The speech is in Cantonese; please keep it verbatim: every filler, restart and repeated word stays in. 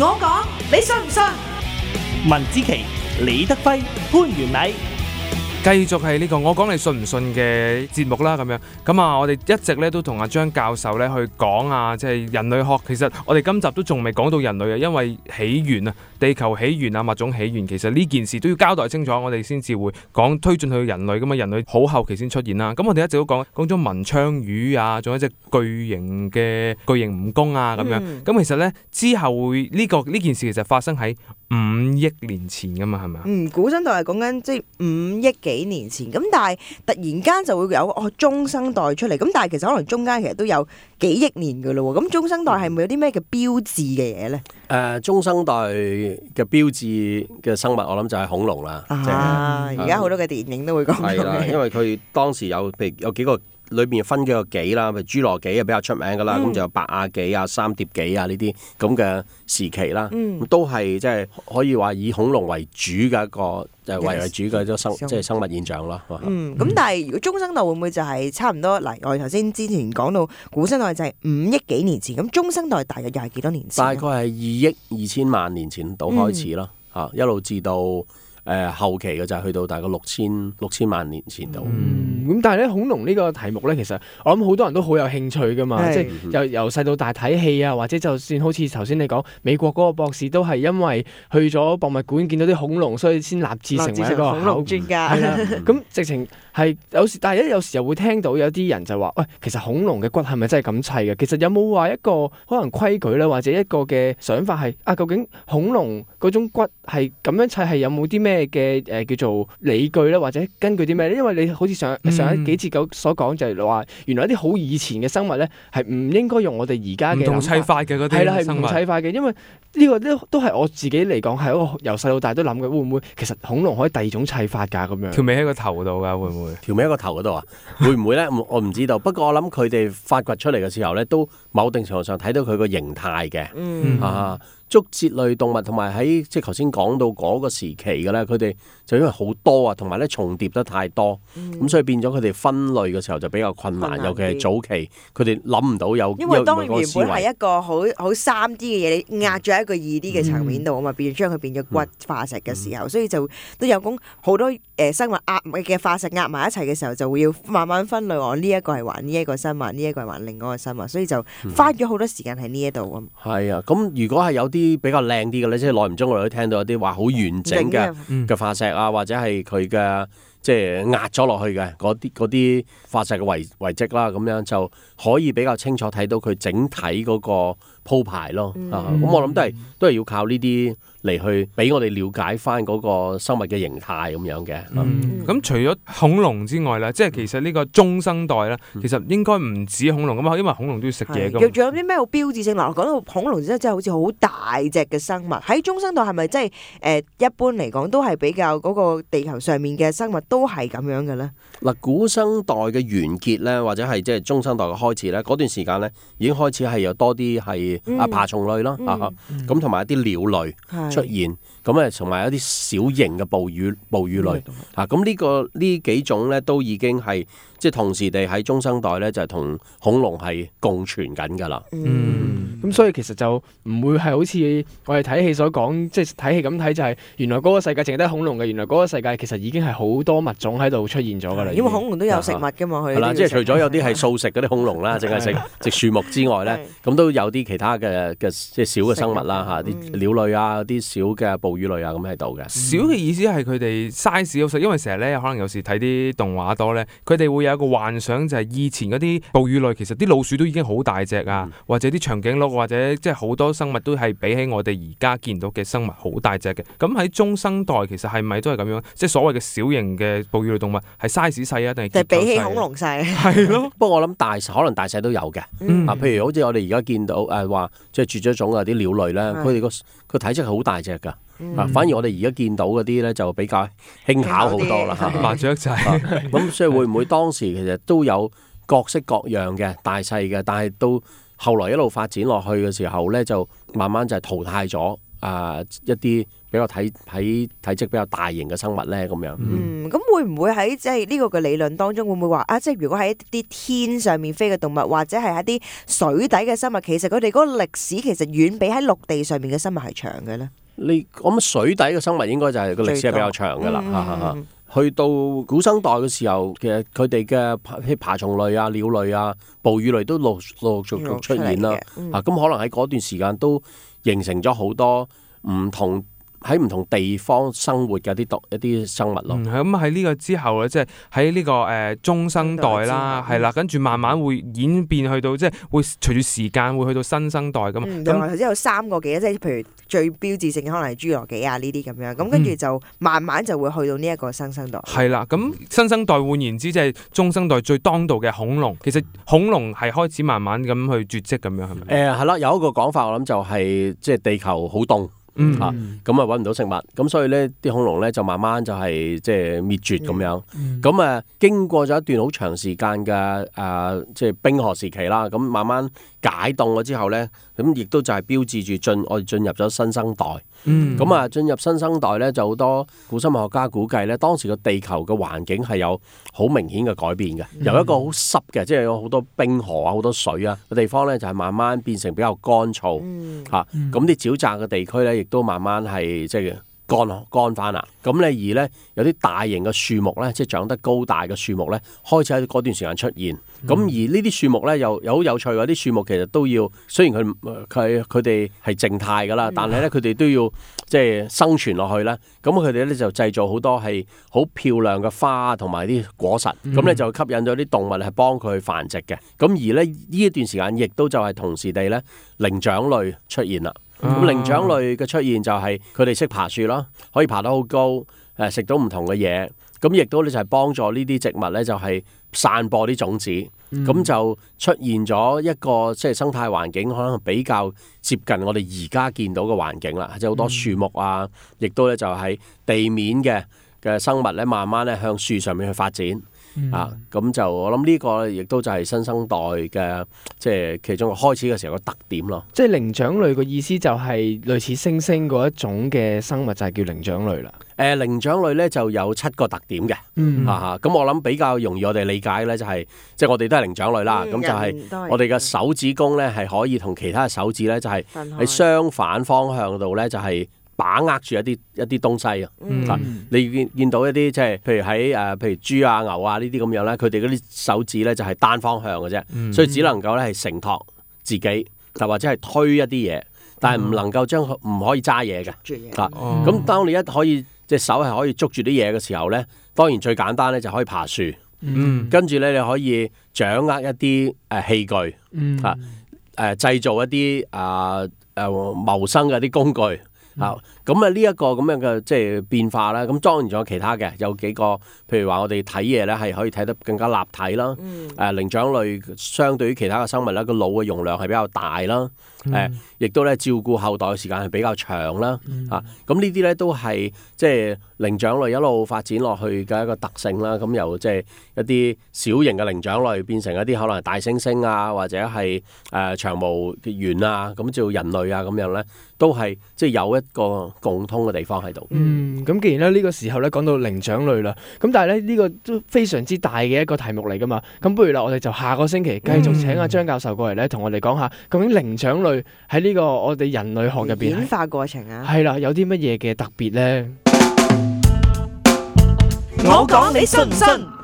我講，你信唔信？文之奇、李德輝、潘元禮。繼續係呢個我講你信唔信嘅節目啦，咁樣咁啊，我哋一直咧都同阿張教授咧去講啊，即係人類學。其實我哋今集都仲未講到人類啊，因為起源啊、地球起源啊、物種起源，其實呢件事都要交代清楚，我哋先至會講推進去人類。咁啊，人類好後期先出現啦。咁我哋一直都講講咗文昌魚啊，仲有一隻巨型嘅巨型蜈蚣啊，咁樣。咁、嗯、其實咧之後會呢、這個呢件事其實發生喺五億年前噶嘛，係咪啊？嗯，古生代係講緊即係五億幾年前，咁但係突然間就會有哦中生代出嚟，咁但係其實可能中間其實都有幾億年噶咯喎，咁中生代係咪有啲咩嘅標誌嘅嘢咧？誒、呃，中生代嘅標誌嘅生物，我諗就係恐龍啦。啊，而家好多嘅電影都會講到嘅。係啦，因為佢當時有譬如有幾個。裏邊分幾個紀啦，譬如侏羅紀啊比較出名噶啦，咁、嗯、就有白亞紀啊、三疊紀啊呢啲咁嘅時期啦，嗯、都係即係可以話以恐龍為主嘅一個就係為為主嘅一種生即係生物現象咯。嗯，咁但係如果中生代會唔會就係差唔多？嗱，我哋頭先之前講到古生代就係五億幾年前，咁中生代大約又係幾多年前？大概係二億二千萬年前到開始咯，嚇、嗯、一路至到。誒、呃、後期嘅就係去到大概六千六千萬年前度。嗯，咁但係咧恐龍呢個題目咧，其實我諗好多人都好有興趣噶嘛，即係由由細到大睇戲啊，或者就算好似頭先你講美國嗰個博士都係因為去咗博物館見到啲恐龍，所以先立志成為一個恐龍專家。係啦，咁直情係有時，但係咧有時又會聽到有啲人就話：喂，其實恐龍嘅骨係咪真係咁砌嘅？其實有冇話一個可能規矩咧，或者一個嘅想法係啊？究竟恐龍嗰種骨係咁樣砌係有冇啲咩嘅誒叫做理據咧，或者根據啲咩咧？因為你好似上上一幾節九所講就係話，原來一啲好以前嘅生物咧係唔應該用我哋而家嘅唔同砌法嘅嗰啲係啦，係唔同砌法嘅，因為呢個都都係我自己嚟講係一個由細到大都諗嘅，會唔會其實恐龍可以第二種砌法㗎咁樣？條尾喺個頭度㗎，會唔會？條尾喺個頭嗰度啊？會唔會咧？我唔知道。不過我諗佢哋發掘出嚟嘅時候咧，都某定程度上睇到佢個形態嘅。嗯啊。竹節類動物同埋喺即係頭先講到嗰個時期嘅咧，佢哋就因為好多啊，同埋咧重疊得太多，咁、嗯、所以變咗佢哋分類嘅時候就比較困難，困難尤其係早期佢哋諗唔到有。因為當原本係一個好好三 D 嘅嘢，你壓咗喺一個二 D 嘅層面度啊嘛，變將佢變咗骨化石嘅時候，嗯、所以就都有講好多誒生物壓嘅化石壓埋一齊嘅時候，就會要慢慢分類。我呢一個係還呢一個生物，呢、這、一個係還另外一個生物，所以就花咗好多時間喺呢一度啊。係啊，咁如果係有啲啲比較靚啲嘅咧，即係耐唔中我哋都聽到有啲話好完整嘅嘅化石啊，或者係佢嘅即係壓咗落去嘅嗰啲嗰啲化石嘅遺遺跡啦，咁樣就可以比較清楚睇到佢整體嗰個鋪排咯。嗯、啊，咁我諗都係都係要靠呢啲嚟去俾我哋了解翻嗰個生物嘅形態咁樣嘅。咁、嗯嗯、除咗恐龍之外咧，即係其實呢個中生代咧，其實應該唔止恐龍噶嘛，因為恐龍都要食嘢噶。仲有啲咩好標誌性？嗱，講到恐龍真係真係好似好大隻嘅生物，喺中生代係咪真係誒一般嚟講都係比較嗰個地球上面嘅生物都係咁樣嘅咧？嗱，古生代嘅完結咧，或者係即係中生代嘅開始咧，嗰段時間咧已經開始係有多啲係啊爬蟲類咯，咁同埋一啲鳥類出現，咁誒同埋一啲小型嘅哺乳哺乳類啊，咁呢個呢幾種咧都已經係即係同時地喺中生代咧就係同恐龍係共存緊㗎啦。嗯，咁所以其實就唔會係好似我哋睇戲所講，即係睇戲咁睇就係原來嗰個世界淨係得恐龍嘅，原來嗰個世界其實已經係好多物種喺度出現咗㗎啦。因為恐龍都有食物㗎嘛，佢係啦，即係除咗有啲係素食嗰啲恐龍啦，淨係食食樹木之外咧，咁都有啲其他嘅嘅即係小嘅生物啦嚇，啲鳥類啊，啲小嘅哺乳類啊咁喺度嘅。小嘅意思係佢哋 size 好細，因為成日咧可能有時睇啲動畫多咧，佢哋會有一個幻想就係以前嗰啲哺乳類其實啲老鼠都已經好大隻啊，嗯、或者啲長頸鹿或者即係好多生物都係比起我哋而家見到嘅生物好大隻嘅。咁喺中生代其實係咪都係咁樣？即係所謂嘅小型嘅哺乳類動物係 size 細啊，定係結構細？比起恐龍細。係咯。不過我諗大可能大細都有嘅。嗯、啊，譬如好似我哋而家見到誒話即係絕咗種啊啲鳥類咧，佢哋個個體積係好大隻㗎。嗯、反而我哋而家見到嗰啲咧就比較輕巧好多啦，麻雀仔。咁所以會唔會當時其實都有各式各樣嘅大細嘅，但係到後來一路發展落去嘅時候咧，就慢慢就係淘汰咗啊、呃、一啲比較體體體積比較大型嘅生物咧？咁樣嗯，咁會唔會喺即係呢個嘅理論當中，會唔會話啊？即係如果喺一啲天上面飛嘅動物，或者係一啲水底嘅生物，其實佢哋嗰個歷史其實遠比喺陸地上面嘅生物係長嘅咧？你咁水底嘅生物應該就係個歷史係比較長㗎啦。嗯去到古生代嘅時候，其實佢哋嘅譬如爬蟲類啊、鳥類啊、哺乳類都陸陸續續出現啦。嗯、啊，咁可能喺嗰段時間都形成咗好多唔同喺唔同地方生活嘅一啲動一啲生物咯。嗯，咁喺呢個之後咧，即係喺呢個誒、呃、中生代啦，係啦，跟住慢慢會演變去到即係會隨住時間會去到新生代咁。嗯，咁頭先有三個幾，即係譬如最標誌性嘅可能係侏羅紀啊呢啲咁樣，咁跟住就慢慢就會去到呢一個新生代。係啦、嗯，咁新生代換言之，即係中生代最當道嘅恐龍。其實恐龍係開始慢慢咁去絕跡咁樣，係咪？誒係啦，有一個講法我諗就係即係地球好凍。嗯嚇，咁啊揾唔到食物，咁所以咧啲恐龍咧就慢慢就係即係滅絕咁樣。咁啊、嗯、經過咗一段好長時間嘅誒即係冰河時期啦，咁慢慢解凍咗之後咧，咁亦都就係標誌住進我哋進入咗新生代。咁啊進入新生代咧，就好多古生物學家估計咧，當時個地球嘅環境係有好明顯嘅改變嘅，嗯、由一個好濕嘅，即係有好多冰河啊、好多水啊嘅地方咧，就係慢慢變成比較乾燥嚇。咁啲、嗯啊、沼澤嘅地區咧，亦都慢慢係即係乾乾翻啦。咁咧而咧有啲大型嘅樹木咧，即係長得高大嘅樹木咧，開始喺嗰段時間出現。咁、嗯、而呢啲樹木咧又又好有趣喎，啲樹木其實都要，雖然佢佢佢哋係靜態噶啦，但係咧佢哋都要即係生存落去啦。咁佢哋咧就製造好多係好漂亮嘅花同埋啲果實，咁咧、嗯、就吸引咗啲動物係幫佢繁殖嘅。咁而咧呢一段時間亦都就係同時地咧靈長類出現啦。咁靈長類嘅出現就係佢哋識爬樹啦，可以爬得好高，誒食到唔同嘅嘢，咁亦都咧就係幫助呢啲植物咧就係散播啲種子，咁、嗯、就出現咗一個即係生態環境可能比較接近我哋而家見到嘅環境啦，即係好多樹木啊，亦都咧就喺地面嘅嘅生物咧慢慢咧向樹上面去發展。嗯、啊，咁就我諗呢個亦都就係新生代嘅即係其中開始嘅時候個特點咯。即係靈長類嘅意思就係類似猩猩嗰一種嘅生物就係叫靈長類啦。誒、呃，靈長類咧就有七個特點嘅。嗯，啊咁我諗比較容易我哋理解咧就係即係我哋都係靈長類啦。咁、嗯、就係我哋嘅手指公咧係可以同其他嘅手指咧就係喺相反方向度咧就係、是。把握住一啲一啲東西啊！嗯、你見見到一啲即係譬如喺誒、呃、譬如豬啊牛啊呢啲咁樣咧，佢哋嗰啲手指咧就係單方向嘅啫，嗯、所以只能夠咧係承托自己，就或者係推一啲嘢，但係唔能夠將佢唔可以揸嘢嘅。嚇、嗯！咁、啊、當你一可以隻手係可以捉住啲嘢嘅時候咧，當然最簡單咧就可以爬樹。嗯、跟住咧你可以掌握一啲誒器具，嚇誒、嗯啊呃、製造一啲啊誒謀生嘅啲工具。啊，咁啊呢一個咁樣嘅即係變化啦，咁當然仲有其他嘅，有幾個，譬如話我哋睇嘢咧係可以睇得更加立體啦。誒、嗯，靈長類相對於其他嘅生物咧，個腦嘅容量係比較大啦。誒、嗯，亦、呃、都咧照顧後代嘅時間係比較長啦。嗯、啊，咁呢啲咧都係即係靈長類一路發展落去嘅一個特性啦。咁由即係一啲小型嘅靈長類變成一啲可能係大猩猩啊，或者係誒、呃、長毛猿啊，咁做人類啊咁樣咧，都係即係有一個共通嘅地方喺度。嗯，咁既然咧呢個時候咧講到靈長類啦，咁但係咧呢個都非常之大嘅一個題目嚟噶嘛。咁不如啦，我哋就下個星期繼續請阿張教授過嚟咧，同我哋講下究竟靈長類喺呢個我哋人類學入邊演化過程啊，係啦，有啲乜嘢嘅特別咧？我講你信唔信？